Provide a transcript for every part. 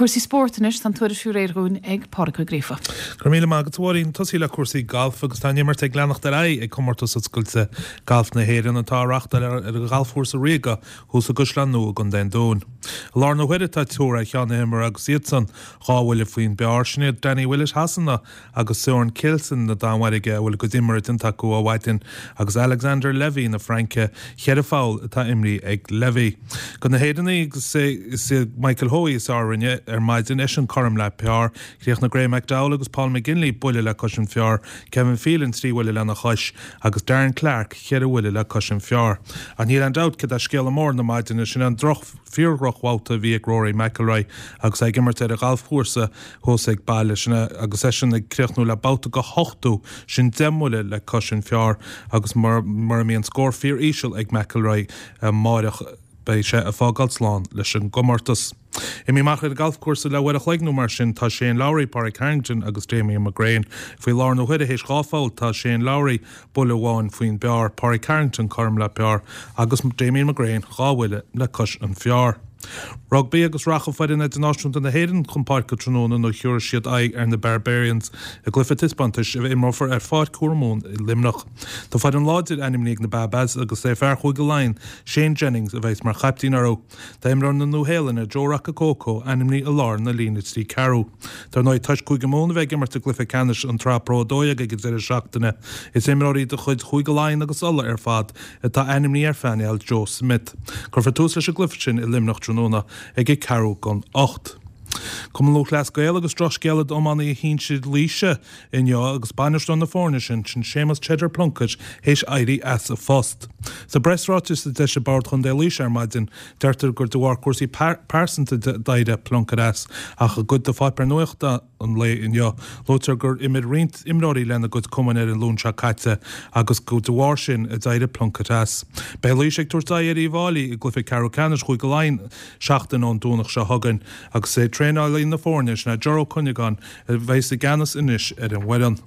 Cúrsaí spóirt anois, tá an tuairisc réidh dhúinn ag Pádraig Ó Gríofa. Go raibh míle maith agat a Mháirín. Tosaí le cúrsaí gailf agus tá an imirt ag leanacht ar aghaidh ag Comórtas Oscailte Gailf na hÉireann atá á reáchtáil ar an Ghalfchúrsa Ríoga thuas i gCaisleán Nua i gContae an Dúin. I láthair na huaire tá triúr ar cheann na himeartha agus iadsan dhá bhuille faoin bpar, sin iad Danny Willett Shasana agus Søren Kjeldsen na Danmhairge a bhfuil a gcuid imeartha déanta acu ó mhaidin agus Alexander Levy na Fraince, cheithre pholl atá imrithe ag Levy. Do na hÉireannaigh agus is é Michael Hoey is fearr a rinne ar maidin, eisean cothrom le par. Chríochnaigh Graeme McDowell agus Paul McGinley buille le cois an phar, Kevin Phelan 3 bhuille lena chois agus Darren Clarke cheithre bhuille le cois an phar. Ach níl aon dabht céard é scéala mór na maidine, sin an droch, fíor-dhrochbhabhta a bhí ag Rory McIlroy agus é ag imirt ar a ghalfchúrsa thuas ag baile, sin é agus eisean ag críochnú le babhta go 80, sin 10 mbuille le cois an phar agus mura mbíonn scór fíor-íseal ag McIlroy amáireach beidh sé ag fágáil slán leis an gcomórtas. Imithe amach ar an galfchúrsa le uair a chloig nó mar sin tá Shane Lowry, Pádraig Harrington agus Damien McGrane. Faoi láthair na huaire théis 2 pholl tá Shane Lowry buille amháin faoin bpar, Pádraig Harrington cothrom le par agus Damien McGrane 2 bhuille le cois an phar. Rugbaí agus rachaidh foireann idirnáisiúnta na hÉireann chun páirce tráthnóna nuair a thiúrfaidh siad aghaidh ar na Barbarians i gcluiche taispeántais a imreofar ar Pháirc Thuar Mumhan i Luimneach. Tá foireann láidir ainmnithe ag na Baa-Baas agus is é fear Chúige Laighean, Shane Jennings, a bheas mar chaiptín orthu. Tá imreoir na Nua-Shéalainne, Joe Rokocoko, ainmnithe i lár na líne 3 ceathrú. Dar ndóigh, toisc Cúige Mumhan a bheith ag imirt i gcluiche ceannais an tSraith Pro 12 ag an deireadh seachtaine, is imreoirí de chuid Chúige Laighean agus Uladh ar fad atá ainmnithe ar phainéal Joe Schmidt. Cuirfear tús leis an gcluiche sin i Luimneach tráthnóna ag a ceathrú don 8. Cumann Lúthchleas Gael agus drochscéala d'iománaithe shinsir Laoise inniu agus bainisteoir na foirne sin, sin Séamus Cheddar Plunkett, théis éirí as a phost. Sa bpreasráiteas a d'eisigh Bord Chontae Laoise ar maidin, deirtear gur de bharr cúrsaí pearsanta d'éirigh Plunkett as, ach i gcuid de pháipéir nuachta an lae inniu, luaitear gur imir roinnt imreoirí lena gcuid cumainn ar an Luan seo caite agus gur de bharr sin a d'éirigh Plunkett as. Beidh Laois ag tabhairt aghaidh ar Uíbh Fháilí i gcluiche ceathrú ceannais Chúige Laighean seachtain ón Domhnach seo chugainn agus is é traenálaí na foirne, sin é Ger Ó Cuinneagáin, a bheas i gceannas anois ar an bhfoireann.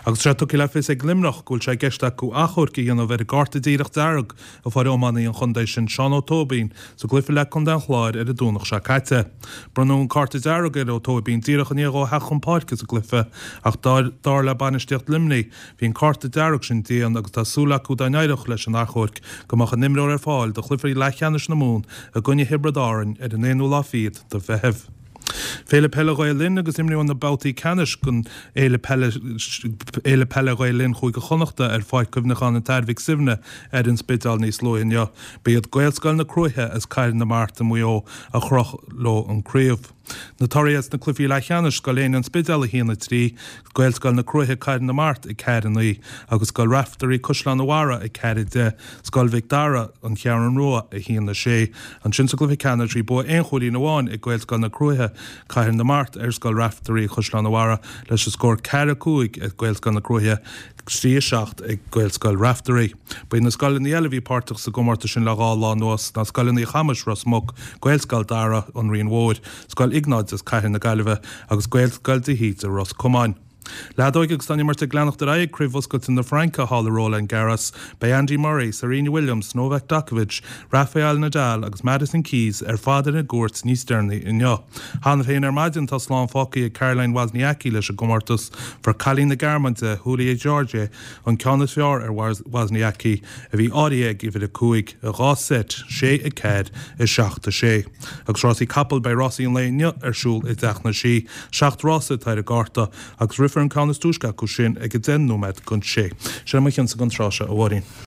Agus tá sé tugtha le fios ag Luimneach go bhfuil sé i gceist acu achomharc a dhéanamh ar an gcárta díreach dearg a fuair iománaí an chontae sin, Seán Ó Tóibín, sa gcluiche le Contae an Chláir ar an Domhnach seo caite. Bronnadh an cárta dearg ar Ó Tóibín díreach i ndiaidh dhó theacht chun páirce sa gcluiche ach dar le bainistíocht Luimnigh, bhí an cárta dearg sin dian agus tá súil acu dá n-éireodh leis an achomharc go mbeadh an imreoir ar fáil do chluiche leathcheannais na Mumhan i gcoinne Thiobraid Árann ar an aonú lá fichead de Mheitheamh. Féile Peile Ghael Linn agus imríodh na babhtaí ceannais den Fhéile Peile Fhéile Peile Ghael Linn Chúige Chonnachta ar Pháirc Chuimhneacháin an tAthair Mhic Suibhne ar an Spidéal níos luaithe inniu. Ba iad Gaelscoil na Cruaiche as Cathair na Mart i Maigh Eo a chroch leo an craobh. Na torthaí as na cluichí leathcheannais, Scoil Éinne An Spidéal 1, 3, Gaelscoil na Cruaiche Cathair na Mart 4, 9 agus Scoil Raifteirí Caisleán an Bharraigh 4, 10, Scoil Mhic Dara, An Cheathrún Rua, 1, 6. Ansin sa gcluiche ceannais bhí bua aon chúilín amháin ag Gaelscoil na Cruaiche, Cathair na Mart, ar Scoil Raifteirí Chaisleán an Bharraigh leis an scór 4, 5 ag Gaelscoil na Cruaiche, 3, 7 ag Gaelscoil Raifteirí. Ba iad na scoileanna eile a bhí páirteach sa gcomórtas sin le dhá lá anuas ná Scoileanna Uí Chamuis, Ros Muc, Gaelscoil Dara, An Rinn Mhóir, Scoil Iognáid as Cathair na Gaillimhe agus Gaelscoil de hÍde, Ros Comáin. Leadóg agus tá an imirt ag leanacht ar aghaidh ag Craobh Oscailte na Fraince thall i Roland Garros. Beidh Andy Murray, Serena Williams, Novak Djokovic, Rafael Nadal agus Madison Keys ar fad ar an gcúirt níos deireanaí inniu. Cheana féin ar maidin tá slán fágtha ag Caroline Wozniacki leis an gcomórtas. Fuair cailín na Gearmáine, Julia Görges, an ceann is fearr ar Wozniacki, a bhí áirithe ag uimhir a 5, i 2 seit, 6 4, 7 6. Agus rásaí capall, beidh rásaí an lae inniu ar siúl i dTeach na Sí. Seacht rása atá ar an gcárta agus rithfear an ceann is túisce acu sin ag a 10 nóiméad don sé. Sin é mo chinnse don tráth seo, a Mháirín.